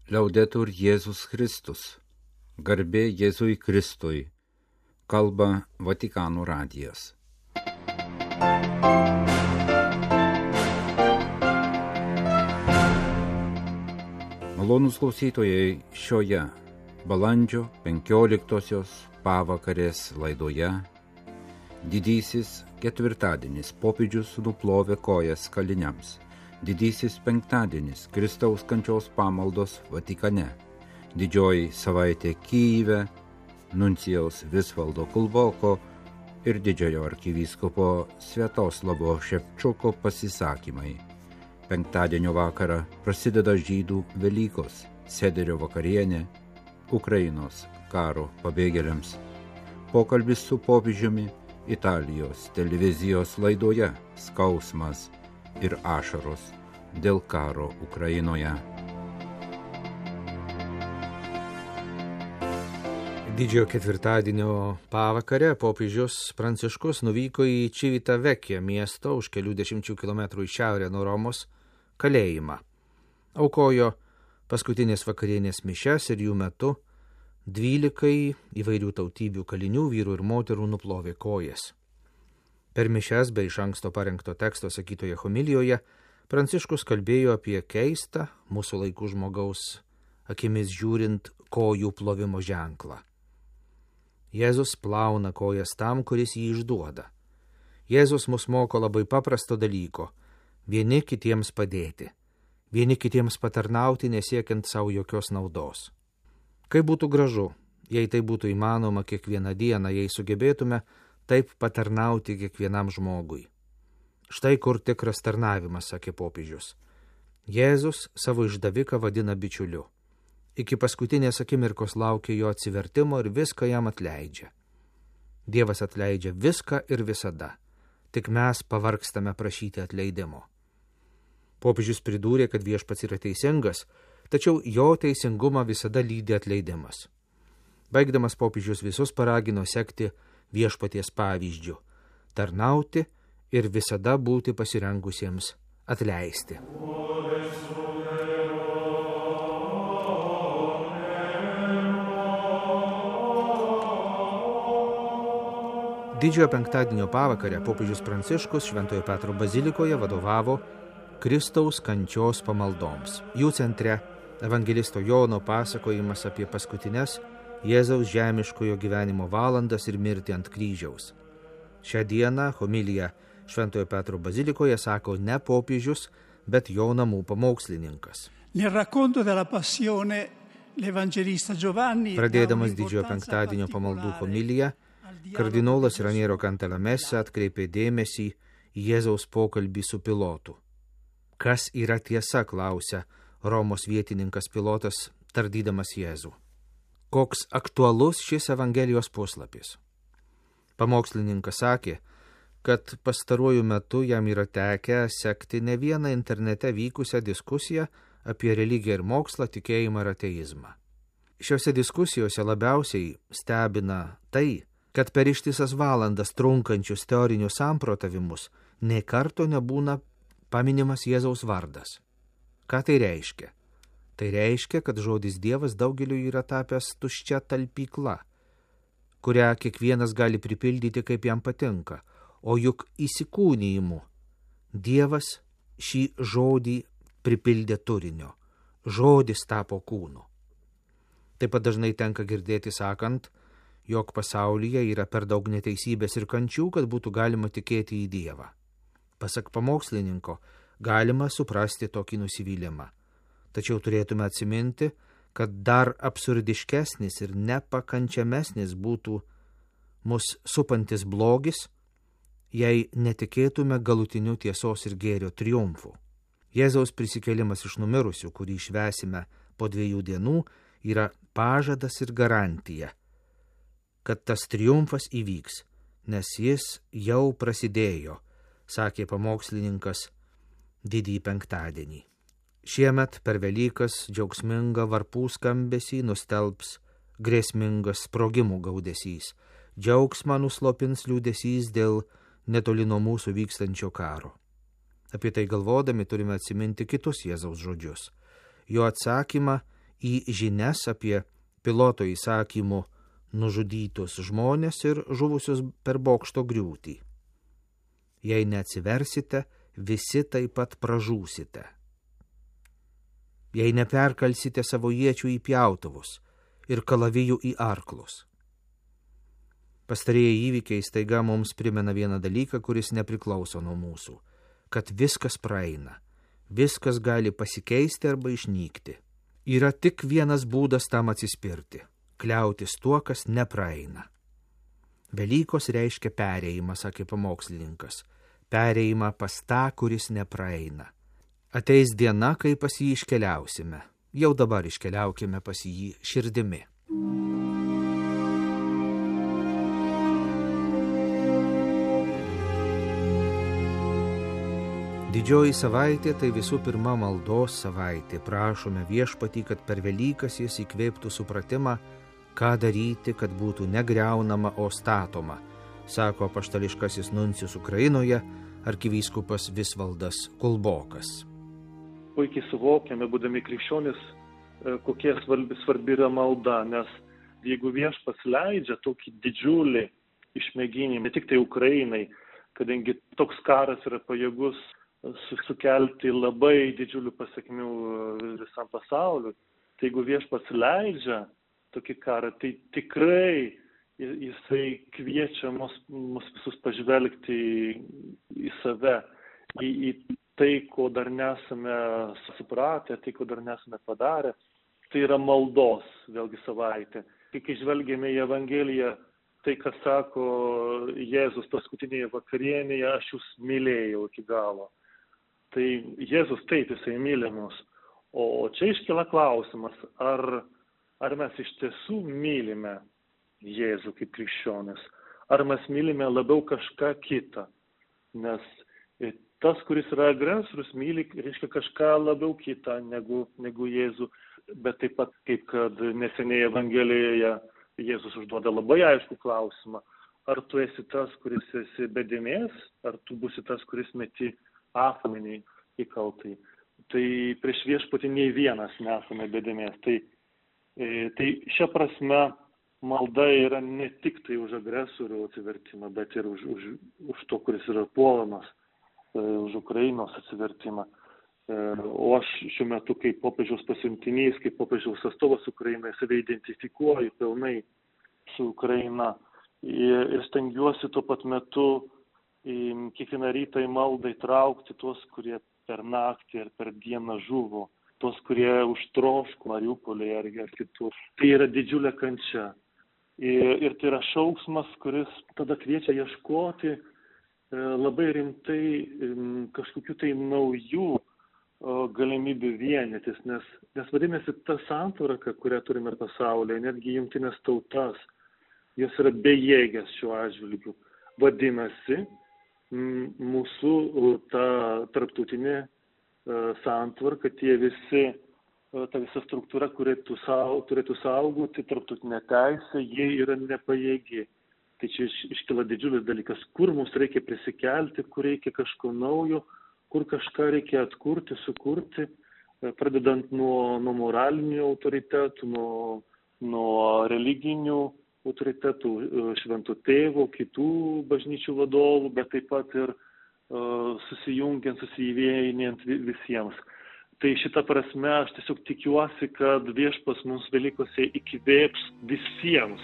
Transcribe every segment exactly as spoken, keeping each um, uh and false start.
Liaudetur Jėzus Kristus. Garbė Jėzui Kristui. Kalba Vatikano radijas. Malonūs klausytojai, šioje balandžio penkioliktosios pavakarės laidoje didysis ketvirtadienis popiežius nuplovė kojas kaliniams. Didysis penktadienis Kristaus kančios pamaldos Vatikane. Didžioji savaitė Kyjive, nuncijaus Visvaldo Kulboko ir didžiojo arkivyskupo Sviatoslavo Ševčuko pasisakymai. Penktadienio vakarą prasideda žydų Velykos, sederio vakarienė, Ukrainos karo pabėgėliams. Pokalbis su popiežiumi Italijos televizijos laidoje Skausmas ir ašaros dėl karo Ukrainoje. Didžiojo ketvirtadienio pavakarę popiežius Pranciškus nuvyko į Civitavecchia miesto už kelių dešimčių kilometrų į šiaurę nuo Romos kalėjimą. Aukojo paskutinės vakarienės mišias ir jų metu dvylikai įvairių tautybių kalinių, vyrų ir moterų nuplovė kojas. Per mišias bei iš anksto parengto teksto sakytoje homilijoje Pranciškus kalbėjo apie keistą mūsų laikų žmogaus akimis žiūrint kojų plovimo ženklą. Jėzus plauna kojas tam, kuris jį išduoda. Jėzus mus moko labai paprasto dalyko – vieni kitiems padėti, vieni kitiems patarnauti nesiekiant savo jokios naudos. Kaip būtų gražu, jei tai būtų įmanoma kiekvieną dieną, jei sugebėtume taip patarnauti kiekvienam žmogui. Štai kur tikras tarnavimas, sakė popiežius. Jėzus savo išdaviką vadina bičiuliu. Iki paskutinės akimirkos laukia jo atsivertimo ir viską jam atleidžia. Dievas atleidžia viską ir visada. Tik mes pavargstame prašyti atleidimo. Popiežius pridūrė, kad viešpats yra teisingas, tačiau jo teisingumą visada lydi atleidimas. Baigdamas popiežius visus paragino sekti viešpaties pavyzdžiu, tarnauti ir visada būti pasirengusiems atleisti. Didžiojo penktadienio pavakarę popiežius Pranciškus Šventojo Petro bazilikoje vadovavo Kristaus kančios pamaldoms. Jų centre evangelisto Jono pasakojimas apie paskutines Jėzaus žemiškojo gyvenimo valandas ir mirtį ant kryžiaus. Šią dieną homiliją Šventojo Petro bazilikoje sako ne popiežius, bet jo namų pamokslininkas. Pradėdamas didžiojo penktadienio pamaldų homiliją, kardinolas Raniero Cantalamessa atkreipė dėmesį į Jėzaus pokalbį su pilotu. Kas yra tiesa, klausia Romos vietininkas pilotas, tardydamas Jėzų. Koks aktualus šis Evangelijos puslapis. Pamokslininkas sakė, kad pastaruoju metu jam yra tekę sekti ne vieną internete vykusią diskusiją apie religiją ir mokslą, tikėjimą ir ateizmą. Šiuose diskusijose labiausiai stebina tai, kad per ištisas valandas trunkančius teorinius samprotavimus nė karto nebūna paminimas Jėzaus vardas. Ką tai reiškia? Tai reiškia, kad žodis Dievas daugeliu yra tapęs tuščia talpykla, kurią kiekvienas gali pripildyti kaip jam patinka, o juk įsikūnijimu Dievas šį žodį pripildė turinio. Žodis tapo kūnu. Taip pat dažnai tenka girdėti sakant, jog pasaulyje yra per daug neteisybės ir kančių, kad būtų galima tikėti į Dievą. Pasak pamokslininko, galima suprasti tokį nusivylimą. Tačiau turėtume atsiminti, kad dar absurdiškesnis ir nepakančiamesnis būtų mus supantis blogis, jei netikėtume galutiniu tiesos ir gėrio triumfu. Jėzaus prisikėlimas iš numirusių, kurį švęsime po dviejų dienų, yra pažadas ir garantija, kad tas triumfas įvyks, nes jis jau prasidėjo, sakė pamokslininkas didįjį penktadienį. Šiemet per Velykas džiaugsmingą varpų skambesį nustelbs grėsmingas sprogimų gaudesys. Džiaugsmą nuslopins liūdesys dėl netoli nuo mūsų vykstančio karo. Apie tai galvodami turime atsiminti kitus Jėzaus žodžius. Jo atsakymą į žinias apie piloto įsakymų nužudytus žmonės ir žuvusius per bokšto griūtį. Jei neatsiversite, visi taip pat pražūsite. Jei neperkalsite savo iečių į pjautuvus ir kalavijų į arklus. Pastarieji įvykiai staiga mums primena vieną dalyką, kuris nepriklauso nuo mūsų, kad viskas praeina, viskas gali pasikeisti arba išnykti. Yra tik vienas būdas tam atsispirti – kliautis tuo, kas nepraeina. Velykos reiškia perėjimą, sakė pamokslininkas, perėjimą pas tą, kuris nepraeina. Ateis diena, kai pas jį iškeliausime. Jau dabar iškeliaukime pas jį širdimi. Didžioji savaitė tai visų pirma maldos savaitė. Prašome Viešpatį, kad per Velykas jis įkvėptų supratimą, ką daryti, kad būtų negriaunama, o statoma, sako apaštališkasis nuncijus Ukrainoje, arkivyskupas Visvaldas Kulbokas. Puikiai suvokiame, būdami krikščionis, kokia svarbi, svarbi yra malda, nes jeigu Viešpats leidžia tokį didžiulį išmėginimą, ne tik tai Ukrainai, kadangi toks karas yra pajėgus sukelti labai didžiulių pasekmių visam pasauliu, tai jeigu Viešpats leidžia tokį karą, tai tikrai jisai kviečia mus, mus visus pažvelgti į save, į, į tai, ko dar nesame supratę, tai, ko dar nesame padarę. Tai yra maldos, vėlgi savaitė. Kai žvelgėme į Evangeliją, tai, ką sako Jėzus paskutinėje vakarienėje, aš jūs mylėjau iki galo. Tai Jėzus taip, jisai myli mus. O čia iškyla klausimas, ar, ar mes iš tiesų mylime Jėzų kaip krikščionis, ar mes mylime labiau kažką kitą. Nes tas, kuris yra agresorius, myli, reiškia kažką labiau kitą negu, negu Jėzų. Bet taip pat, kaip kad neseniai Evangelijoje Jėzus užduoda labai aiškų klausimą, ar tu esi tas, kuris esi be dėmės, ar tu būsi tas, kuris meti akmenį į kaltąjį. Tai prieš Viešpatį nei vienas nesame be dėmės. Tai, tai šia prasme malda yra ne tik tai už agresorių atsivertimą, bet ir už, už, už to, kuris yra puolamas, už Ukrainos atsivertimą. O aš šiuo metu kaip popiežiaus pasiuntinys, kaip popiežiaus atstovas Ukrainai, save identifikuoju pilnai su Ukraina ir stengiuosi tuo pat metu kiekvieną rytą į maldą įtraukti tuos, kurie per naktį ir per dieną žuvo, tuos, kurie užtroško Mariupolį ar, ar kitur. Tai yra didžiulė kančia. Ir, ir tai yra šauksmas, kuris tada kviečia ieškoti labai rimtai kažkokių tai naujų galimybių vienytis, nes, nes vadinasi ta santvarka, kurią turime pasaulyje, netgi jungtinės tautas, jos yra bejėgės šiuo atžvilgiu. Vadinasi, mūsų ta tarptautinė santvarka, tie visi, ta visa struktūra, kuri turėtų saugoti tarptautinę teisę, jie yra nepajėgi. Tai čia iškyla didžiulis dalykas, kur mums reikia prisikelti, kur reikia kažko naujo, kur kažką reikia atkurti, sukurti, pradedant nuo, nuo moralinių autoritetų, nuo, nuo religinių autoritetų, šventų tėvų, kitų bažnyčių vadovų, bet taip pat ir uh, susijungiant, susivienijant visiems. Tai šitą prasme aš tiesiog tikiuosi, kad Viešpats mums Velykose įkvėps visiems,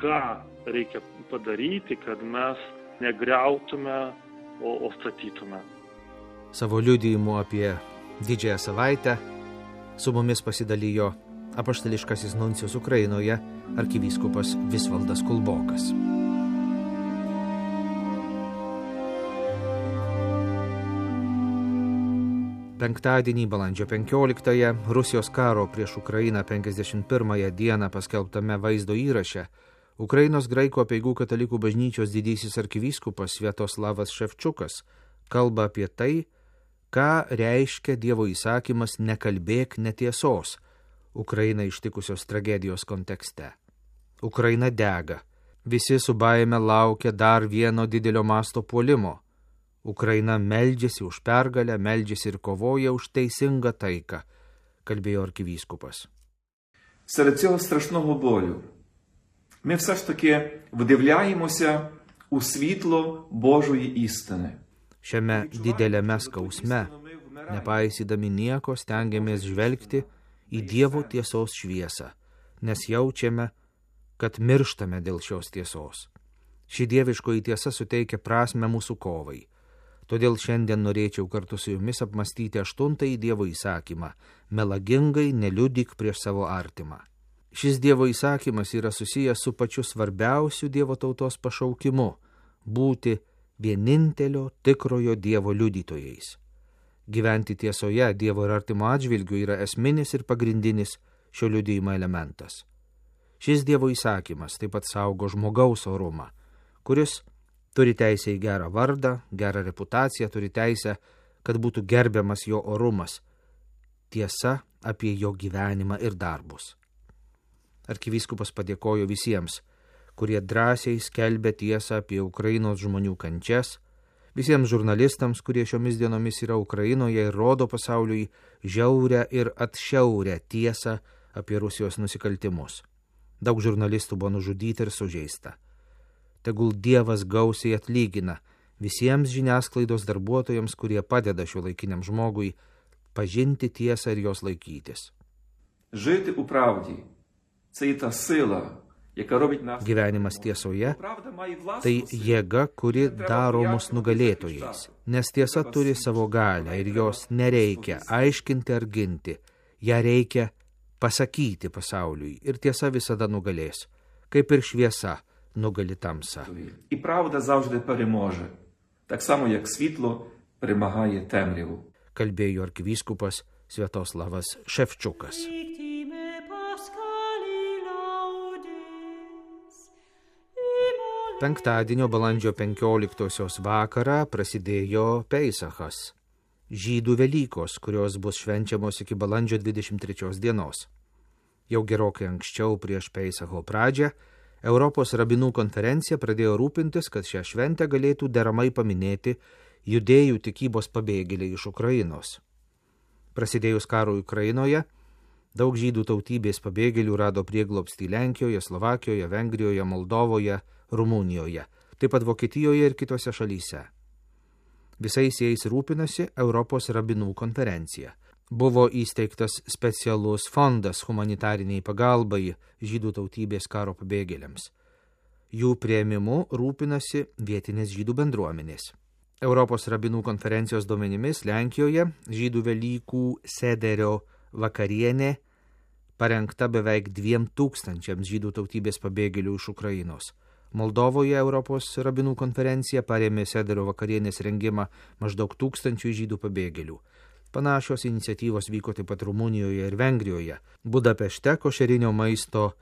ką reikia padaryti, kad mes negriautume, o, o statytume. Savo liudijimu apie didžiąją savaitę su mumis pasidalijo apaštališkasis nuncijus Ukrainoje arkivyskupas Visvaldas Kulbokas. Penktadienį, balandžio penkioliktąją, Rusijos karo prieš Ukrainą penkiasdešimt pirmąją dieną paskelbtame vaizdo įraše Ukrainos graikų apeigų katalikų bažnyčios didysis arkivyskupas Sviatoslavas Ševčiukas kalba apie tai, ką reiškia Dievo įsakymas nekalbėk netiesos Ukrainą ištikusios tragedijos kontekste. Ukraina dega. Visi su baime laukia dar vieno didelio masto puolimo. Ukraina meldžiasi už pergalę, meldžiasi ir kovoja už teisingą taiką, kalbėjo arkivyskupas. серед цього страшного болю ми все ж таки вдивляємося у світло Божої істини. Šiame dideliame skausme, nepaisydami nieko, stengiamės žvelgti į Dievo tiesos šviesą, nes jaučiame, kad mirštame dėl šios tiesos. Ši dieviškoji tiesa suteikia prasme mūsų kovai. Todėl šiandien norėčiau kartu su jumis apmastyti aštuntąjį Dievo įsakymą – melagingai neliudyk prieš savo artimą. Šis Dievo įsakymas yra susijęs su pačiu svarbiausiu Dievo tautos pašaukimu – būti vienintelio tikrojo Dievo liudytojais. Gyventi tiesoje Dievo ir artimo atžvilgiu yra esminis ir pagrindinis šio liudijimo elementas. Šis Dievo įsakymas taip pat saugo žmogaus orumą, kuris turi teisę į gerą vardą, gerą reputaciją, turi teisę, kad būtų gerbiamas jo orumas, tiesa apie jo gyvenimą ir darbus. Arkivyskupas padėkojo visiems, kurie drąsiai skelbia tiesą apie Ukrainos žmonių kančias, visiems žurnalistams, kurie šiomis dienomis yra Ukrainoje ir rodo pasauliui žiaurę ir atšiaurę tiesą apie Rusijos nusikaltimus. Daug žurnalistų buvo nužudyti ir sužeista. Tegul Dievas gausiai atlygina visiems žiniasklaidos darbuotojams, kurie padeda šiuolaikiniam žmogui pažinti tiesą ir jos laikytis. Жити у правді – це і та сила, яка робить нас... Gyvenimas tiesoje – tai jėga, kuri daro mus nugalėtojais, nes tiesa turi savo galią ir jos nereikia aiškinti ar ginti, ją reikia pasakyti pasauliui ir tiesa visada nugalės, kaip ir šviesa nugali tamsą. І правда завжди переможе, так само як світло перемагає темряву. Kalbėjo arkivyskupas Sviatoslavas Ševčiukas. Penktadienio balandžio penkioliktosios vakarą prasidėjo Peisachas, žydų Velykos, kurios bus švenčiamos iki balandžio dvidešimt trečios dienos. Jau gerokai anksčiau prieš Peisacho pradžią Europos rabinų konferencija pradėjo rūpintis, kad šią šventę galėtų deramai paminėti judėjų tikybos pabėgėliai iš Ukrainos. Prasidėjus karui Ukrainoje, daug žydų tautybės pabėgėlių rado prieglobstį Lenkijoje, Slovakijoje, Vengrijoje, Moldovoje, Rumunijoje, taip pat Vokietijoje ir kitose šalyse. Visais jais rūpinasi Europos rabinų konferencija. Buvo įsteigtas specialus fondas humanitariniai pagalbai žydų tautybės karo pabėgėliams. Jų priėmimu rūpinasi vietinės žydų bendruomenės. Europos rabinų konferencijos duomenimis Lenkijoje žydų Velykų sederio vakarienė parengta beveik dviem tūkstančiams žydų tautybės pabėgėlių iš Ukrainos. Moldovoje Europos rabinų konferencija parėmė sederio vakarienės rengimą maždaug tūkstančių žydų pabėgėlių. Panašios iniciatyvos vyko taip pat Rumunijoje ir Vengrijoje. Budapešte košerinio maisto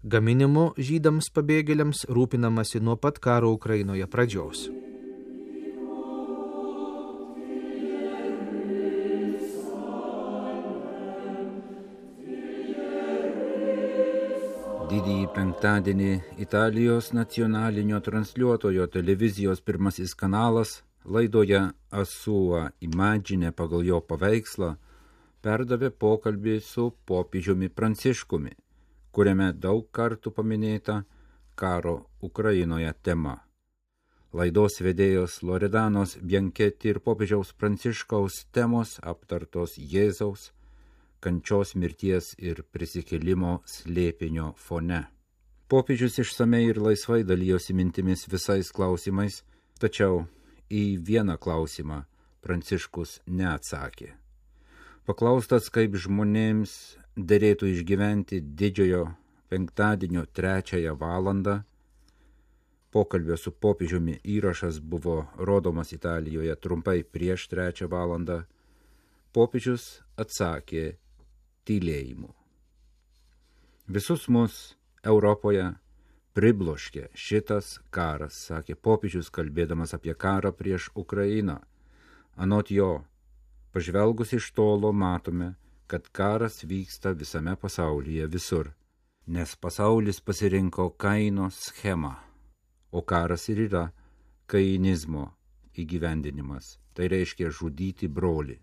gaminimu žydams pabėgėliams rūpinamasi nuo pat karo Ukrainoje pradžios. Didįjį penktadienį Italijos nacionalinio transliuotojo televizijos pirmasis kanalas laidoje Asua Imagine pagal jo paveikslą perdavė pokalbį su popiežiumi Pranciškumi, kuriame daug kartų paminėta karo Ukrainoje tema. Laidos vedėjos Loredanos Bianchetti ir popiežiaus Pranciškaus temos aptartos Jėzaus, kančios, mirties ir prisikėlimo slėpinio fone. Popiežius išsamei ir laisvai dalijosi mintimis visais klausimais, tačiau į vieną klausimą Pranciškus neatsakė. Paklaustas, kaip žmonėms derėtų išgyventi didžiojo penktadienio trečiąją valandą, pokalbio su popiežiumi įrašas buvo rodomas Italijoje trumpai prieš trečią valandą, popiežius atsakė tylėjimu. Visus mus Europoje pribloškė šitas karas, sakė popiežius, kalbėdamas apie karą prieš Ukrainą. Anot jo, pažvelgus iš tolo matome, kad karas vyksta visame pasaulyje visur, nes pasaulis pasirinko Kaino schemą, o karas ir yra kainizmo įgyvendinimas, tai reiškia žudyti brolį.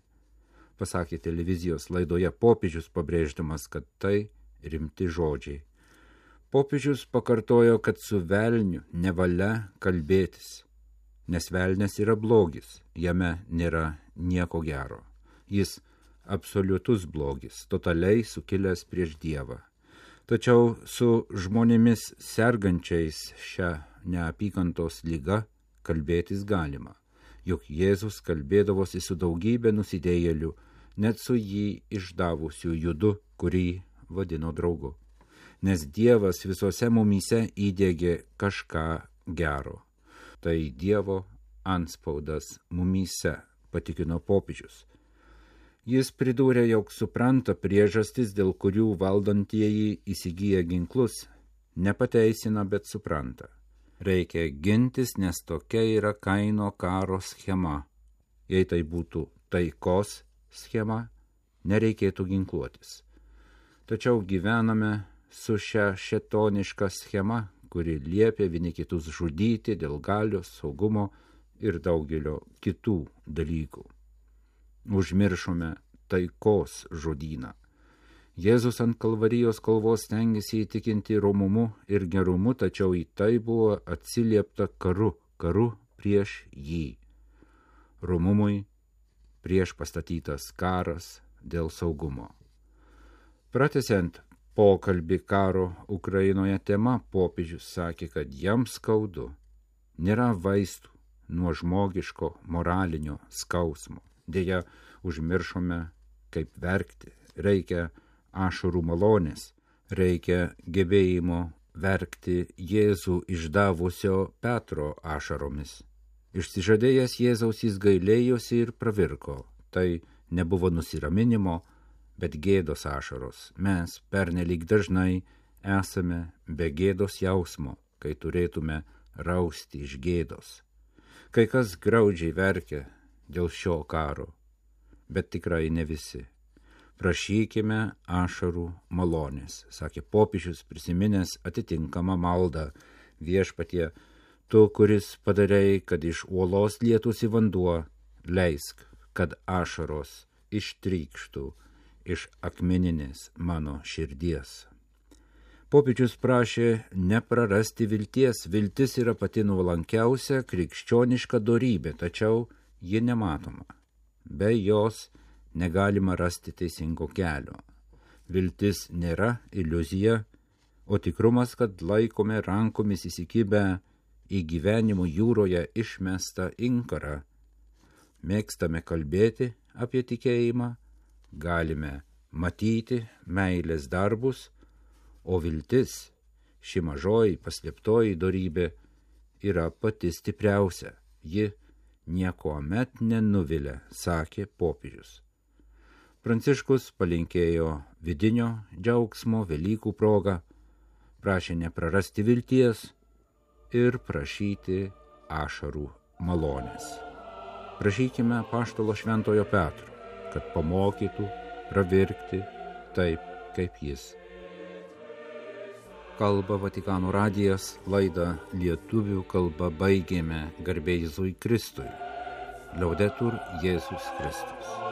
Pasakė televizijos laidoje popiežius, pabrėždamas, kad tai rimti žodžiai. Popiežius pakartojo, kad su velniu nevalia kalbėtis, nes velnias yra blogis, jame nėra nieko gero. Jis absoliutus blogis, totaliai sukilęs prieš Dievą. Tačiau su žmonėmis sergančiais šią neapykantos ligą kalbėtis galima, juk Jėzus kalbėdavosi su daugybė nusidėjėlių, net su jį išdavusiu Judu, kurį vadino draugu. Nes Dievas visose mumyse įdėgė kažką gero. Tai Dievo antspaudas mumyse, patikino popiežius. Jis pridūrė, jog supranta priežastis, dėl kurių valdantieji įsigyja ginklus, nepateisina, bet supranta. Reikia gintis, nes tokia yra Kaino karo schema. Jei tai būtų taikos schema, nereikėtų ginkluotis. Tačiau gyvename su šia šėtoniška schema, kuri liepia vieni kitus žudyti dėl galios, saugumo ir daugelio kitų dalykų. Užmiršome taikos žodyną. Jėzus ant Kalvarijos kalvos stengėsi įtikinti romumu ir gerumu, tačiau į tai buvo atsiliepta karu, karu prieš jį. Romumui prieš pastatytas karas dėl saugumo. Pratęsiant pokalbį karo Ukrainoje tema, popiežius sakė, kad jam skaudu, nėra vaistų nuo žmogiško moralinio skausmo. Deja, užmiršome, kaip verkti. Reikia ašarų malonės, reikia gebėjimo verkti Jėzų išdavusio Petro ašaromis. Išsižadėjęs Jėzaus jis gailėjosi ir pravirko. Tai nebuvo nusiraminimo, bet gėdos ašaros. Mes pernelyg dažnai esame be gėdos jausmo, kai turėtume rausti iš gėdos. Kai kas graudžiai verkia dėl šio karo, bet tikrai ne visi. Prašykime ašarų malonės, sakė popiežius, prisiminęs atitinkamą maldą. Viešpatie, tu, kuris padarei, kad iš uolos lietųsi vanduo, leisk, kad ašaros ištrykštų iš akmeninės mano širdies. Popiežius prašė neprarasti vilties. Viltis yra pati nuolankiausia krikščioniška dorybė, tačiau ji nematoma. Be jos negalima rasti teisingo kelio. Viltis nėra iliuzija, o tikrumas, kad laikome rankomis įsikibę į gyvenimo jūroje išmestą inkarą. Mėgstame kalbėti apie tikėjimą, galime matyti meilės darbus, o viltis, ši mažoji paslėptoji dorybė, yra pati stipriausia. Ji niekuomet nenuvilia, sakė popiežius. Pranciškus palinkėjo vidinio džiaugsmo Velykų proga, prašė neprarasti vilties ir prašyti ašarų malonės. Prašykime apaštalo Šventojo Petro, kad pamokytų pravirkti taip, kaip jis. Kalba Vatikano radijas, laidą lietuvių kalba baigėme. Garbė Jėzui Kristui. Liaudetur Jėzus Kristus.